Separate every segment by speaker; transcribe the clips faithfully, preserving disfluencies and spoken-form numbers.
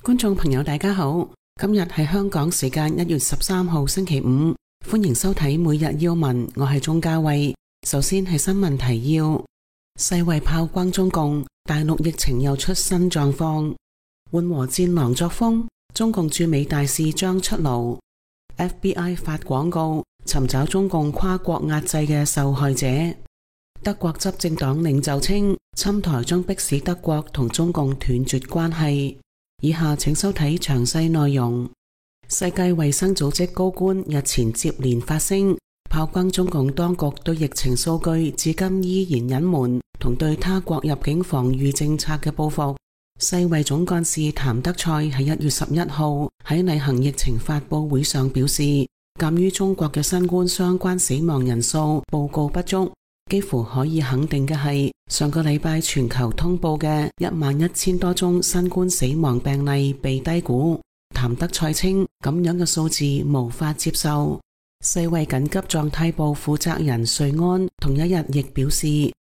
Speaker 1: 觀眾朋友大家好，今日係香港時間一月十三號星期五，歡迎收睇每日要聞，我係鍾嘉慧。首先係新聞提要：世衛炮轟中共，大陸疫情又出新狀況，緩和戰狼作風，中共駐美大使將出爐。F B I 發廣告尋找中共跨國壓制嘅受害者。德國執政黨領袖稱，侵台將迫使德國同中共斷絕關係。以下請收睇詳細內容。世界衛生組織高官日前接連發聲，炮轟中共當局對疫情數據至今依然隱瞞，同對他國入境防禦政策嘅報復。世衛總幹事譚德塞喺一月十一號喺例行疫情發佈會上表示，鑒於中國嘅新冠相關死亡人數報告不足，幾乎可以肯定嘅係，上個禮拜全球通報嘅一萬一千多宗新冠死亡病例被低估。譚德塞稱，咁樣嘅數字無法接受。世衛緊急狀態部負責人瑞安同一日亦表示，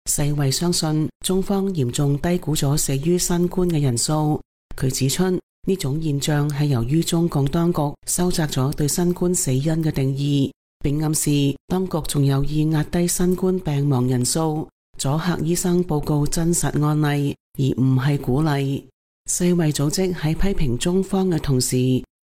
Speaker 1: 世衛相信中方嚴重低估咗死於新冠嘅人數。佢指出，呢種現象係由於中共當局收窄咗對新冠死因嘅定義，並暗示當局仲有意壓低新冠病亡人數，阻嚇醫生報告真實案例，而唔係鼓勵。世衛組織喺批評中方嘅同時，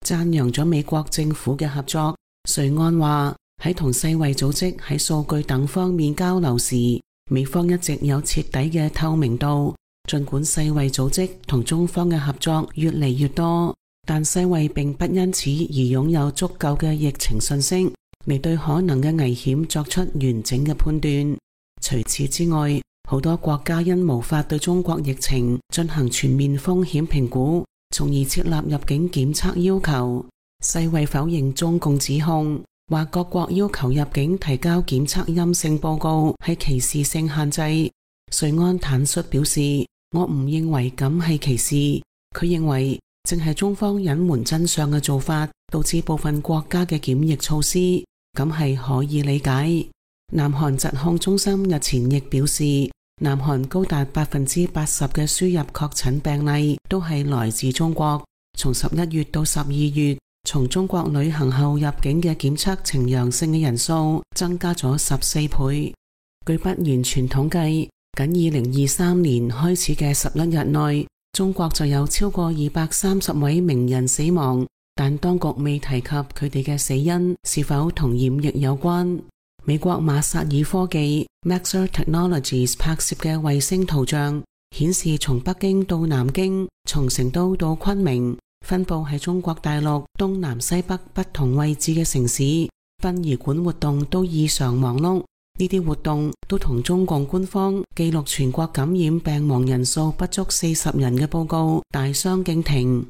Speaker 1: 讚揚咗美國政府嘅合作。瑞安話，喺同世衛組織喺數據等方面交流時，美方一直有徹底嘅透明度。儘管世衛組織同中方嘅合作越嚟越多，但世衛並不因此而擁有足夠嘅疫情信息嚟對可能嘅危險作出完整嘅判斷。除此之外，好多國家因無法對中國疫情進行全面風險評估，從而設立入境檢測要求。世衛否認中共指控，話各國要求入境提交檢測陰性報告係歧視性限制。瑞安坦率表示，我唔認為咁係歧視，佢認為正係中方隱瞞真相嘅做法，導致部分國家嘅檢疫措施，咁係可以理解。南韓疾控中心日前亦表示，南韓高達百分之八十嘅輸入確診病例都係來自中國。從十一月到十二月，從中國旅行後入境嘅檢測呈陽性嘅人數增加咗十四倍。據不完全統計，僅二零二三年開始嘅十一日內，中國就有超過二百三十位名人死亡，但當局未提及佢哋嘅死因是否同染疫有關。美國馬薩爾科技 Maxar Technologies 拍攝嘅衛星圖像顯示，從北京到南京，從成都到昆明，分佈喺中國大陸東南西北不同位置嘅城市，殯儀館活動都異常忙碌。呢啲活動都同中共官方記錄全國感染病亡人數不足四十人嘅報告大相徑庭。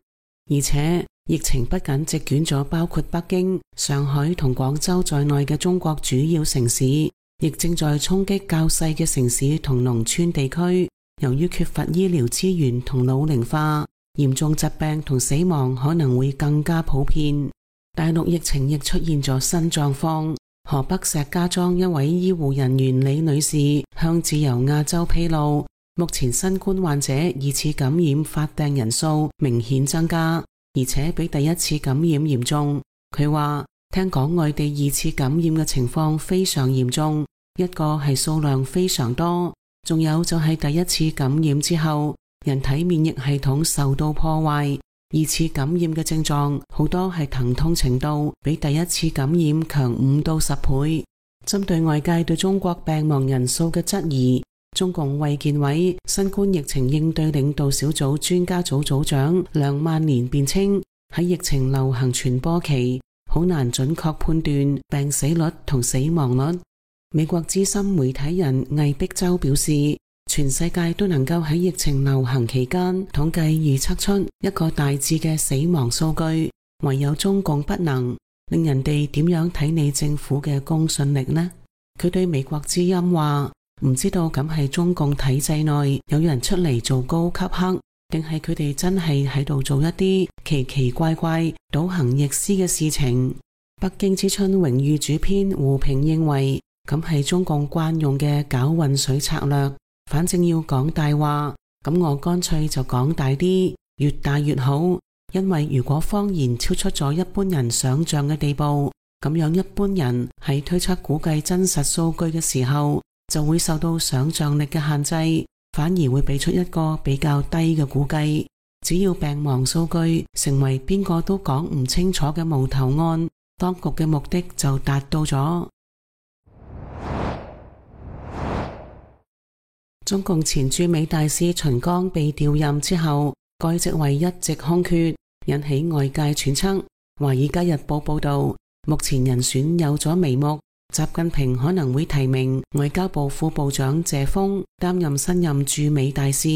Speaker 1: 而且疫情不僅席捲咗包括北京、上海同廣州在內嘅中國主要城市，亦正在衝擊較細嘅城市同農村地區。由於缺乏醫療資源同老齡化，嚴重疾病同死亡可能會更加普遍。大陸疫情亦出現咗新狀況。河北石家莊一位醫護人員李女士向自由亞洲披露，目前新冠患者二次感染發病人數明顯增加，而且比第一次感染嚴重。佢話聽講外地二次感染嘅情況非常嚴重，一個係數量非常多，仲有就係第一次感染之後，人體免疫系統受到破壞。二次感染嘅症狀好多係疼痛程度比第一次感染強五到十倍。針對外界對中國病亡人數嘅質疑，中共衛健委新冠疫情應對領導小組專家組組長梁萬年辯稱，喺疫情流行傳播期，好難準確判斷病死率同死亡率。美國資深媒體人魏碧洲表示，全世界都能夠喺疫情流行期間統計預測出一個大致嘅死亡數據，唯有中共不能。令人哋點樣睇你政府嘅公信力呢？佢對美國之音話，唔知道咁係中共體制內有人出嚟做高級黑，定係佢哋真係喺度做一啲奇奇怪怪倒行逆施嘅事情。北京之春榮譽主編胡平認為，咁係中共慣用嘅搞渾水策略。反正要講大話，咁我乾脆就講大啲，越大越好。因為如果謊言超出咗一般人想象嘅地步，咁樣一般人喺推測估計真實數據嘅時候，就會受到想象力嘅限制，反而會俾出一個比較低嘅估計。只要病亡數據成為邊個都講唔清楚嘅無頭案，當局嘅目的就達到咗。中共前駐美大使秦剛被調任之後，該職位一直空缺，引起外界揣測。《華爾街日報》報道，目前人選有咗眉目，習近平可能會提名外交部副部長謝鋒擔任新任駐美大使。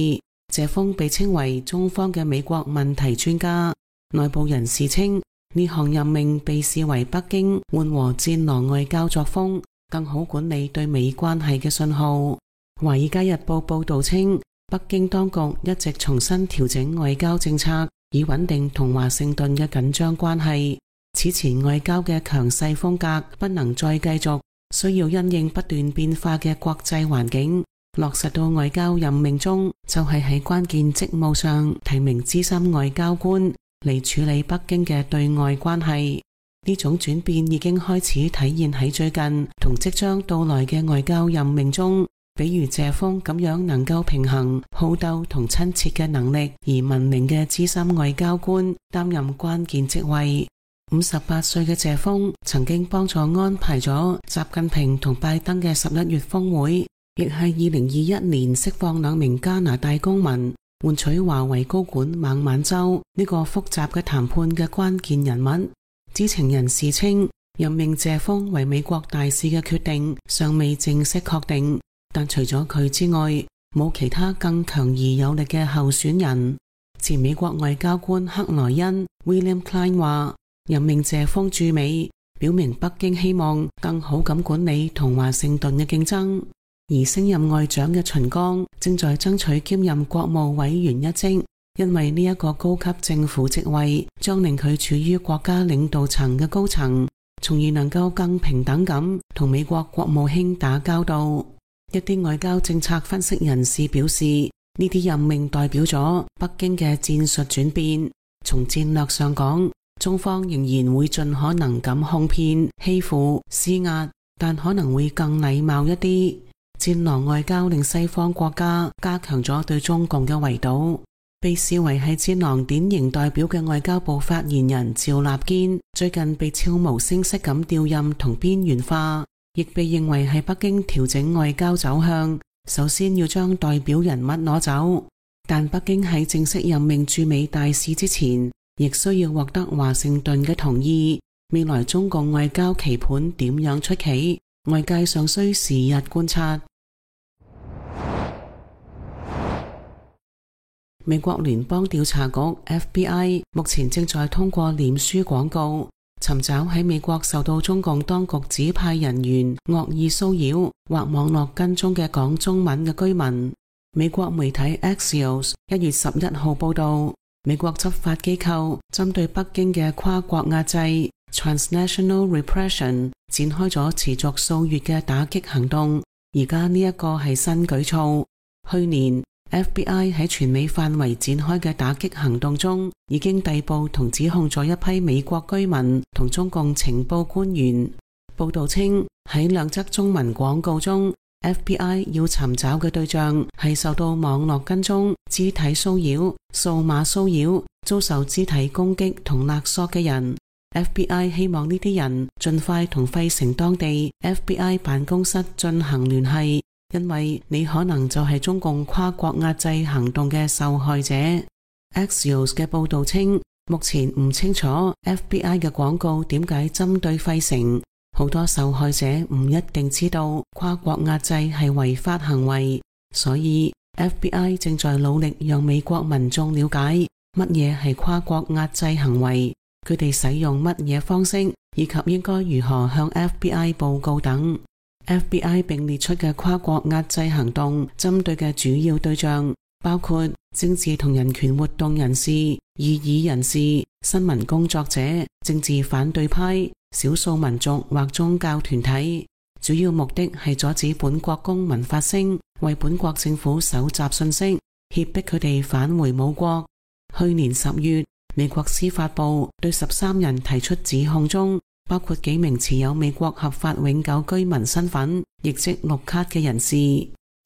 Speaker 1: 謝鋒被稱為中方嘅美國問題專家，內部人士稱呢項任命被視為北京緩和戰狼外交作風，更好管理對美關係嘅信號。《華爾街日報》報道稱，北京當局一直重新調整外交政策，以穩定同華盛頓嘅緊張關係。此前外交嘅強勢風格不能再繼續，需要因應不斷變化嘅國際環境，落實到外交任命中，就係喺關鍵職務上提名資深外交官嚟處理北京嘅對外關係。呢種轉變已經開始體現喺最近同即將到來嘅外交任命中。比如謝鋒咁樣能夠平衡好鬥同親切嘅能力而聞名嘅資深外交官擔任關鍵職位。五十八歲嘅謝鋒曾經幫助安排咗習近平同拜登嘅十一月峰會，亦係二零二一年釋放兩名加拿大公民，換取華為高管孟晚舟呢個複雜嘅談判嘅關鍵人物。知情人士稱，任命謝鋒為美國大使嘅決定尚未正式確定，但除咗佢之外，冇其他更強而有力嘅候選人。前美國外交官克萊恩 William Klein 話，任命謝鋒駐美，表明北京希望更好咁管理同華盛頓嘅競爭。而升任外長嘅秦剛正在爭取兼任國務委員一職，因為呢一個高級政府職位將令佢處於國家領導層嘅高層，從而能夠更平等咁同美國國務卿打交道。一啲外交政策分析人士表示，呢啲任命代表咗北京嘅戰術轉變。從戰略上講，中方仍然會盡可能咁哄騙、欺負、施壓，但可能會更禮貌一啲。戰狼外交令西方國家加強咗對中共嘅圍堵。被視為係戰狼典型代表嘅外交部發言人趙立堅最近被悄無聲息咁調任同邊緣化，亦被認為係北京調整外交走向，首先要將代表人物攞走。但北京喺正式任命駐美大使之前，亦需要獲得華盛頓嘅同意。未來中共外交棋盤點樣出棋，外界尚需時日觀察。美國聯邦調查局 F B I 目前正在通過臉書廣告尋找喺美國受到中共當局指派人員惡意騷擾或網絡跟蹤嘅講中文嘅居民。美國媒體 Axios 一月十一號報道，美國執法機構針對北京嘅跨國壓制 Transnational Repression 展開咗持續數月嘅打擊行動，而家呢一個係新舉措。去年F B I 喺全美範圍展開嘅打擊行動中，已經逮捕同指控咗一批美國居民同中共情報官員。報道稱，喺兩則中文廣告中， F B I 要尋找嘅對象係受到網絡跟蹤、肢體騷擾、數碼騷擾、遭受肢體攻擊同勒索嘅人。F B I 希望呢啲人盡快同費城當地 F B I 辦公室進行聯繫，因為你可能就係中共跨國壓制行動嘅受害者。Axios 嘅報道稱，目前唔清楚 F B I 嘅廣告點解針對費城，好多受害者唔一定知道跨國壓制係違法行為，所以 F B I 正在努力讓美國民眾了解乜嘢係跨國壓制行為，佢哋使用乜嘢方式，以及應該如何向 F B I 報告等。F B I 並列出嘅跨國壓制行動針對嘅主要對象包括政治同人權活動人士、異議人士、新聞工作者、政治反對派、少數民族或宗教團體。主要目的係阻止本國公民發聲，為本國政府搜集信息，脅迫佢哋返回母國。去年十月，美國司法部對十三人提出指控中，包括幾名持有美國合法永久居民身份，亦即綠卡嘅人士。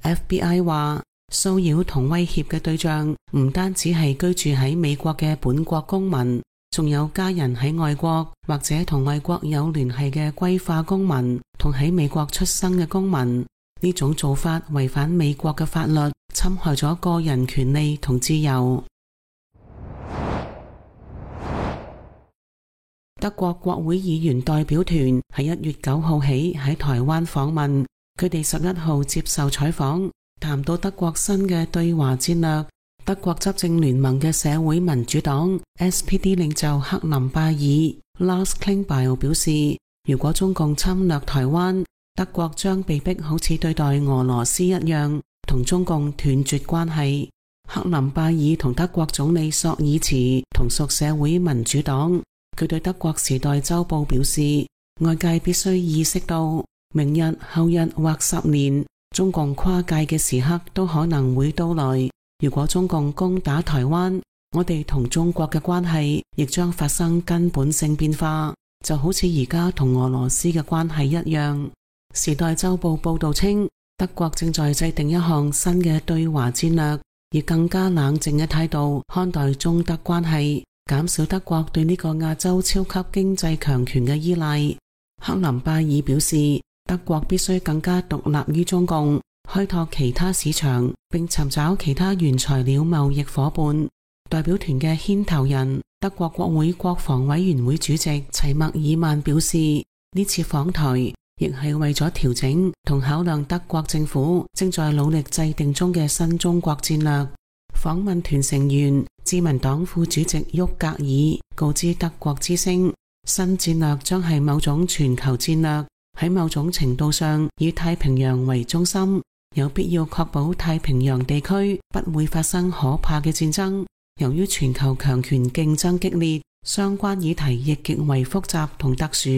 Speaker 1: F B I 話，騷擾同威脅嘅對象唔單止係居住喺美國嘅本國公民，仲有家人喺外國或者同外國有聯繫嘅歸化公民，同喺美國出生嘅公民。呢種做法違反美國嘅法律，侵害咗個人權利同自由。德國國會議員代表團喺一月九號起喺台灣訪問，佢哋十一號接受採訪，談到德國新嘅對華戰略。德國執政聯盟嘅社會民主黨 S P D 領袖克林拜爾 Lars Klingbeil 表示，如果中共侵略台灣，德國將被迫好似對待俄羅斯一樣，同中共斷絕關係。克林拜爾同德國總理朔爾茨同屬社會民主黨，佢對德國時代週報表示，外界必須意識到，明日、後日或十年，中共跨界嘅時刻都可能會到來。如果中共攻打台灣，我哋同中國嘅關係亦將發生根本性變化，就好似而家同俄羅斯嘅關係一樣。時代週報報道稱，德國正在制定一項新嘅對華戰略，以更加冷靜嘅態度看待中德關係，減少德國對呢個亞洲超級經濟強權嘅依賴。克林拜爾表示，德國必須更加獨立於中共，開拓其他市場，並尋找其他原材料貿易夥伴。代表團嘅牽頭人，德國國會國防委員會主席齊默爾曼表示，呢次訪台亦係為咗調整同考量德國政府正在努力制定中嘅新中國戰略。訪問團成員自民黨副主席沃格爾告知德國之聲，新戰略將係某種全球戰略，喺某種程度上以太平洋為中心，有必要確保太平洋地區不會發生可怕嘅戰爭。由於全球強權競爭激烈，相關議題亦極為複雜同特殊，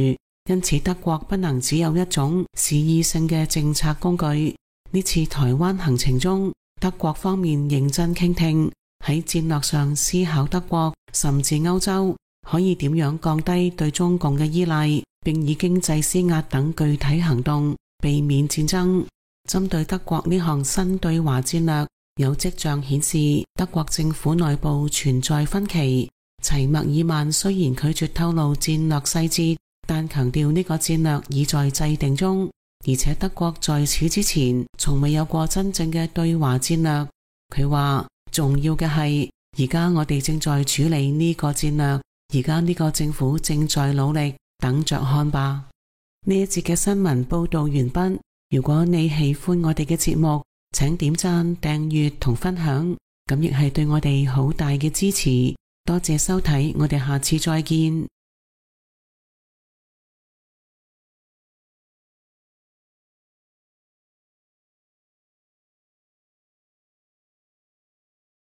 Speaker 1: 因此德國不能只有一種示意性嘅政策工具。呢次台灣行程中，德國方面認真傾聽，喺戰略上思考德國甚至歐洲可以點樣降低對中共嘅依賴，並以經濟施壓等具體行動避免戰爭。針對德國呢項新對華戰略，有跡象顯示德國政府內部存在分歧。齊默爾曼雖然拒絕透露戰略細節，但強調呢個戰略已在制定中，而且德國在此之前從未有過真正嘅對華戰略。佢話，重要嘅係而家我哋正在處理呢個戰略，而家呢個政府正在努力，等着看吧。呢一節嘅新聞報道完畢。如果你喜歡我哋嘅節目，請點讚、訂閱同分享，咁亦係對我哋好大嘅支持。多謝收睇，我哋下次再見。